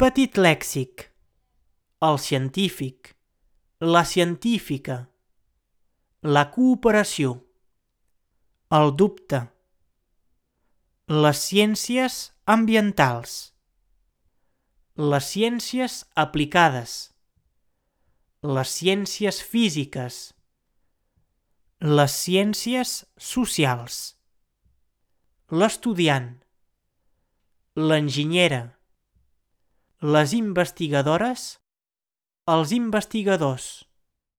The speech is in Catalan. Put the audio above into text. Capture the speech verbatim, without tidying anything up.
petit lèxic, el científic, la científica, la cooperació, el dubte, les ciències ambientals, les ciències aplicades, les ciències físiques, les ciències socials, l'estudiant, l'enginyera, les investigadores, els investigadors,